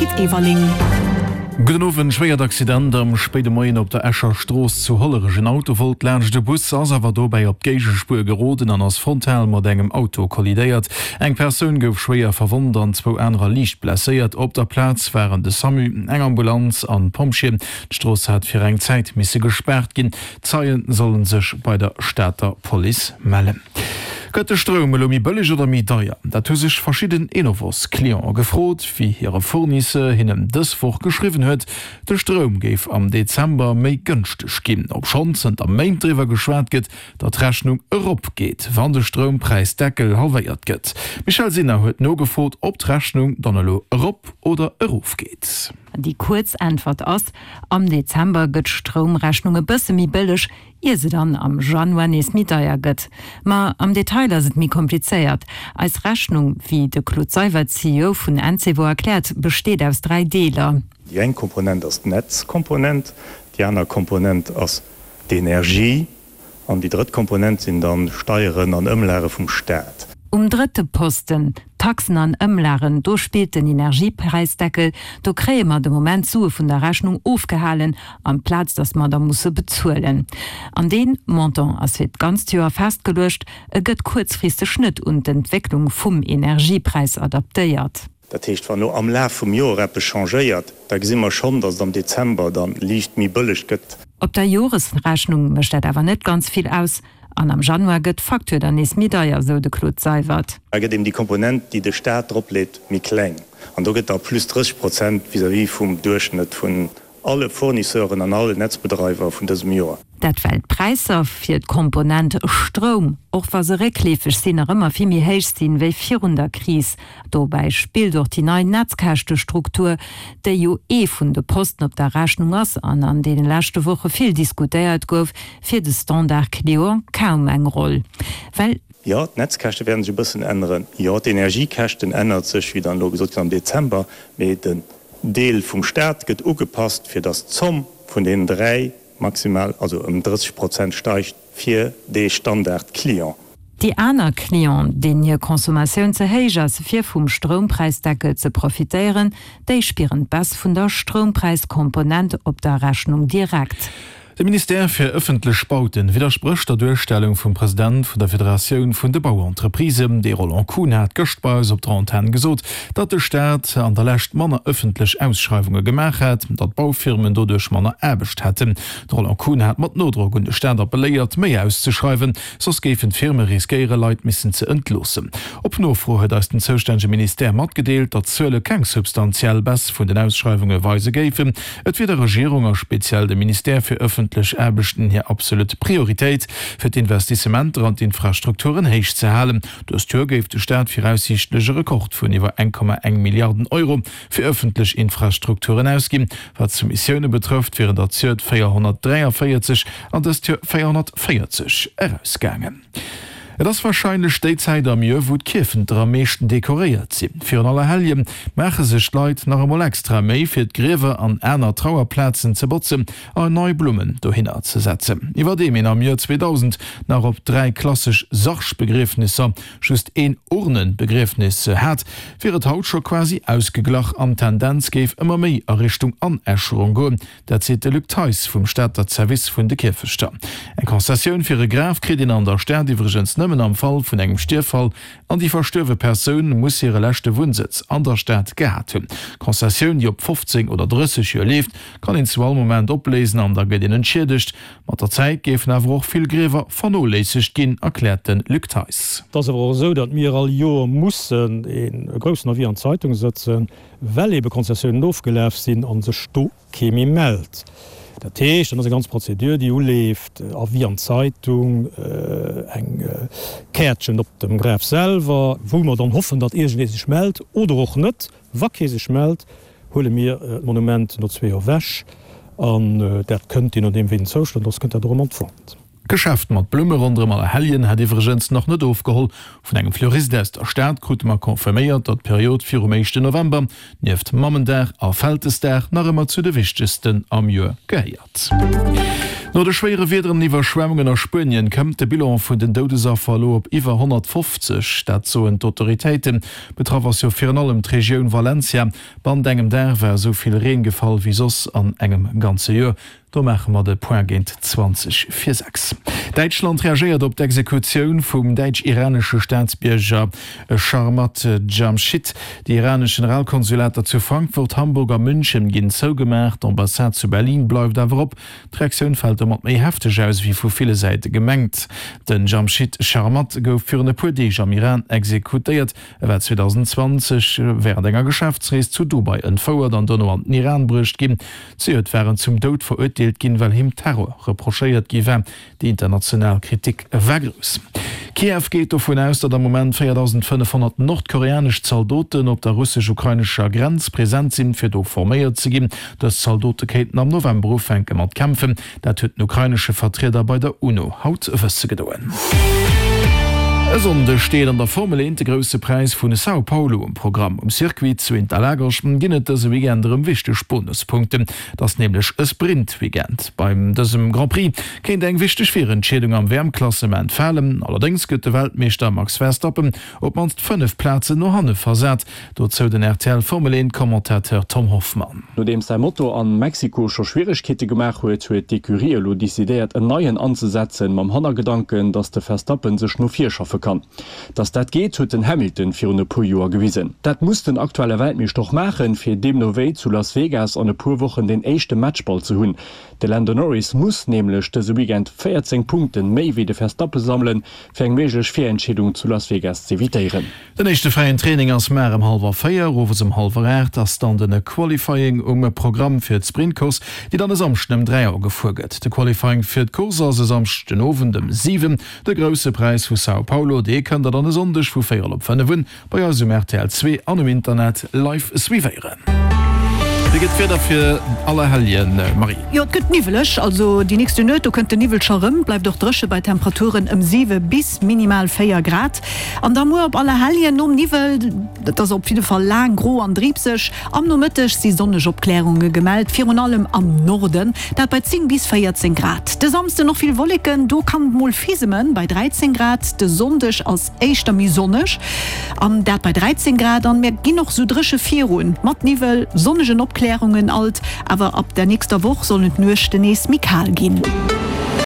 Pit Everling. Gudden Owend, Schwéiert Accident am spéide Moien op der Escher Strooss zu Hollerech. En Auto wollt laanscht e Bus, ass awer dobäi op d'Géigespuer geroden an ass frontal mat engem Auto kollidéiert. Eng Persoun gouf schwéier verwonnt an zwou anerer liicht blesséiert. Op der Plaz waren de Samu, eng Ambulanz an d'Pompjeeën. D'Strooss hat fir eng Zäit misse gespaart ginn. Zeie solle sech bei der Stater Police mellen. Gëtt de Stroum elo méi bëlleg oder méi deier? Dat hu sech verschidden Enovos-Clientë gefrot, wéi hire Fournisseur hinnen dës Woch geschriwwen huet, de Stroum géif am Dezember méi gënschteg ginn. Obschonn zënter Méint driwwer geschwat gëtt, datt d'Rechnung erop geet, wann de Stroumppräisdeckel halwéiert gëtt. D'Michèle Sinner huet nogefrot, ob d'Rechnung dann elo erop oder erof geet. Déi kuerz Äntwert ass, Am Dezember gëtt d'Stroumrechnung e bësse méi bëlleg, ier se dann am Januar nees méi deier gëtt. Ma am Detail ass et méi komplizéiert. Eis Rechnung, wéi de Claude Seywert, CEO vun Encevo, erkläert, besteet aus 3 Deeler. Déi eng Komponent ass d'Netzkomponent, déi aner Komponent ass d'Energie An déi drëtt Komponent sinn dann Steieren an Ëmlage vum Staat. Um drëtte Posten, Taxen an Ëmlagen, do spillt den Energiepräisdeckel. Do kréie mer de Moment d'Sue vun der Rechnung ofgehalen, amplaz datt mer der musse bezuelen. An dee Montant ass fir d'ganzt Joer festgeluecht, e gëtt kuerzfristeg net un d'Entwécklung vum Energiepräis adaptéiert. Dat heescht, wann elo am Laf vum Joer eppes changéiert, da gesi mer schonn, datt et am Dezember da liicht méi bëlleg gëtt. Op der Joresrechnung mécht dat awer net ganz vill aus an am Januar gëtt d'Facture dann nees méi deier, sou de Claude Seywert. Da gëtt eben déi Komponent, déi de Staat dropleet, méi kleng an do gëtt da plus 30 Prozent vis-à-vis vum Duerchschnëtt vun alle Fournisseuren an alle Netzbedreiwer vun dësem Joer. Dat well d'Präisser fir d'Komponent Stroum, och wa se réckleefeg sinn, nach ëmmer vill méi héich sinn, wéi virun der Kris. Dobäi spillt och déi nei Netzkäschtestruktur, déi jo ee vun de Posten op der Rechnung ass an an deene leschte Woche vill diskutéiert gouf, fir de Standard-Client kaum eng Roll, well. Jo, d'Netzkäschte wäerten sech e bëssen änneren. Jo, d'Energiekäschten ännert sech, wéi dann elo gesot ginn, am Dezember. Mee den Deel vum Staat gëtt ugepasst, fir datt d'Zomm vun deenen 3 maximal, also ëm 30 Prozent steigt fir dee Standard-Client. Déi aner Clienten, deenen hir Consommatioun ze héich ass, fir vum Stroumpräisdeckel ze profitéieren, déi spieren d'Baisse vun der Stroumpräiskomponent op der Rechnung direkt. De Ministère fir ëffentlech Bauten widdersprécht der Duerstellung vum President vun der Federatioun vun de Bauentreprisen. De Roland Kuhn hat gëscht bei eis op der Antenn gesot, datt de Staat an der Lescht manner ëffentlech Ausschreiwunge gemaach hätt, datt d'Baufirmen doduerch manner Aarbecht hätten. De Roland Kuhn hat mat Nodrock un de Staat appelléiert, méi auszeschreiwen, soss géifen d'Firme riskéiere Leit missen ze entloossen. Op Nofro huet eis den zoustännege Ministère matgedeelt, datt d'Zuele keng substantiell Baisse vun den Ausschreiwunge weise géifen. Et wier der Regierung a speziell dem Ministère fir ëffentlech Aarbechten hir absolut Prioritéit, fir d'Investissementer an d'Infrastrukturen héich ze halen. Dëst Joer géif de Staat viraussiichtlech e Rekord vun iwwer 1,1 Milliarden Euro fir ëffentlech Infrastrukturen ausginn. Wat d'Soumissioune betrëfft, wieren der zejoert 443 an dëst Joer 440 erausgaangen. Et ass warscheinlech déi Zäit am Joer, wou d'Kierfenter am meeschten dekoréiert sinn. Virun Allerhellje maache sech d'Leit nach emol extra Méi, fir d'Griewer an aner Trauerplazen ze botzen a nei Blummen dohinner ze setzen. Iwwerdeem een am Joer 2000 nach op 3 klassesch Sargbegriefnisser just een Urnenbegriefnis hat, wier et haut scho quasi ausgeglach an d'Tendenz géif ëmmer méi a Richtung Anäscherung goen. Dat seet de Luc Theis vum Stater Zerwiss vun de Kierfechter. Eng Concessioun fir e Graf kritt een an der Stad iwwregens nëmmen am Fall vun engem Stierffall an déi verstuerwe Persoun muss hire leschte Wunnsëtz an der Stad gehat hunn. D'Concessioun, déi op 15 oder 30 Joer leeft, kann een zu all Moment opléisen an da gëtt een entschiedegt. Mat der Zäit géifen awer och vill Griewer vernoléissegt ginn, erkläert de Luc Theis. Et ass awer och esou, datt mir all Joer mussen e groussen Avis an d'Zeitung sëtzen, well ebe Konzessiounen ofgelaf sinn a sech do kee méi mellt. Dat heescht, dann ass eng ganz Prozedur, déi uleeft, Avis an d'Zeitung, eng Käertchen op dem Graf selwer, wou mer dann hoffen, datt iergendee sech mellt oder och net. Wa kee sech mellt, huele mir d'Monument no zwee Joer ewech an dat kënnt, je nodeem wéi den Zoustand ass, kënnt dat och erëm an d'Vente. D'Geschäft mat Blumme ronderëm Allerhelljen hat iwwregens nach net ofgeholl. Vun engem Fleurist aus der Stad krute mer confirméiert, datt d'Period virum éischten November nieft Mammendag a Vältesdag nach ëmmer zu de wichtegsten am Joer gehéiert. No de schwéiere Wiederen an Iwwerschwemmungen a Spuenien këmmt de Bilan vun den Doudesaffer elo op iwwer 150. Dat soen d'Autoritéiten. Betraff ass jo virun allem d'Regioun Valencia. Bannent engem Dag war esou vill Reen gefall wéi soss an engem ganze Joer. Do maache mer de Point géint 20 vir 6. Däitschland reagéiert op d'Exekutioun vum däitsch-iranesche Staatsbierger Sharmahd Jamshid. Déi iranesch Generalkonsulater zu Frankfurt, Hamburg a München ginn zougemaach, d'Ambassade zu Berlin bleift awer op. D'Reaktioun fält domat méi hefteg aus, wéi vu ville Säite gemengt. Den Jamshid Sharmahd gouf virun e puer Deeg am Iran exekutéiert. E war 2020 wärend enger Geschäftsrees zu Dubai entfouert an dono an den Iran bruecht ginn. Zejoert war en zum Doud verurteelt ginn, well him Terror reprochéiert gi war. Déi international Kritik war grouss. Kiew geet dovun aus, datt am Moment 4.500 nordkoreanesch Zaldoten op der russesch-ukrainescher Grenz present sinn, fir do forméiert ze ginn. Dës Zaldote kéinten am November ufänke mat kämpfen. Dat huet den ukrainesche Vertrieder bei der UNO haut wësse gedoen. E Sonndeg steet an der Formel 1 de Grousse Präis vun São Paulo um Programm. Um Circuit zu Interlagos ginn et dëse Weekend erëm wichteg Bonuspunkten. Et ass nämlech e Sprint-Weekend. Beim dësem Grand Prix kéint eng wichteg Virentscheedung am WM-Klassement falen. Allerdéngs gëtt de Weltmeeschter Max Verstappen op d'mannst 5 Plazen no hanne versat. Dozou den rtl Formel 1 Commentateur Tom Hoffmann. Nodeems säi Moto an Mexiko scho Schwieregkeete gemaach huet, huet d'Ecurie elo decidéiert en neien anzesetzen, mam Hannergedanken, datt de Verstappen sech no vir schaffe kann. Dass dat geet, huet den Hamilton virun e puer Joer gewisen. Dat muss den aktuelle Weltmeeschter och maachen, fir deemno wéi zu Las Vegas an e puer Wochen den éischte Matchball ze hunn. De Lando Norris muss nämlech dëse Weekend 14 Punkte méi wéi de Verstappen sammelen, fir eng méiglech Virentscheedung zu Las Vegas z'evitéieren. Den éischte fräien Training ass mar ëm hallwer 4, owes ëm hallwer 8 ass dann den Qualifying um Programm fir d'Sprintcourse, déi dann e Samschden ëm 3 Auer gefuer gëtt. De Qualifying fir d'Course ass e Samschden den Owend ëm 7. De Grousse Präis vu Sao Paulo, dee kënnt der dann e Sonndeg vu véierel op 5 un bei eis um rtl 2 an um Internet live suivéieren. Wéi gëtt d'Wieder fir Allerhelljen, Marie? Jo, et gëtt niwweleg, also déi nächste Nuet, do kënnt de Niwwel scho rëm. Bleift och dréche bei Temperaturen ëm 7 bis minimal 4 Grad. An da muer op Allerhelljen nom Niwwel, et ass op jidde Fall laang gro an driibseg. Am Nomëtteg si sonneg Opklärunge gemellt, virun allem am Norden, dat bei 10 bis 14 Grad. De Samsden och vill Wolleken, do kann et mol fisemen, bei 13 Grad. De Sonndeg ass éischter méi sonneg, an dat bei 13 Grad. An mir ginn och sou dréche virun, mat Niwwel, sonnegen Opklärungen alt, awer ab der nächster Woch sollen d'Nuechten nees méi kal ginn.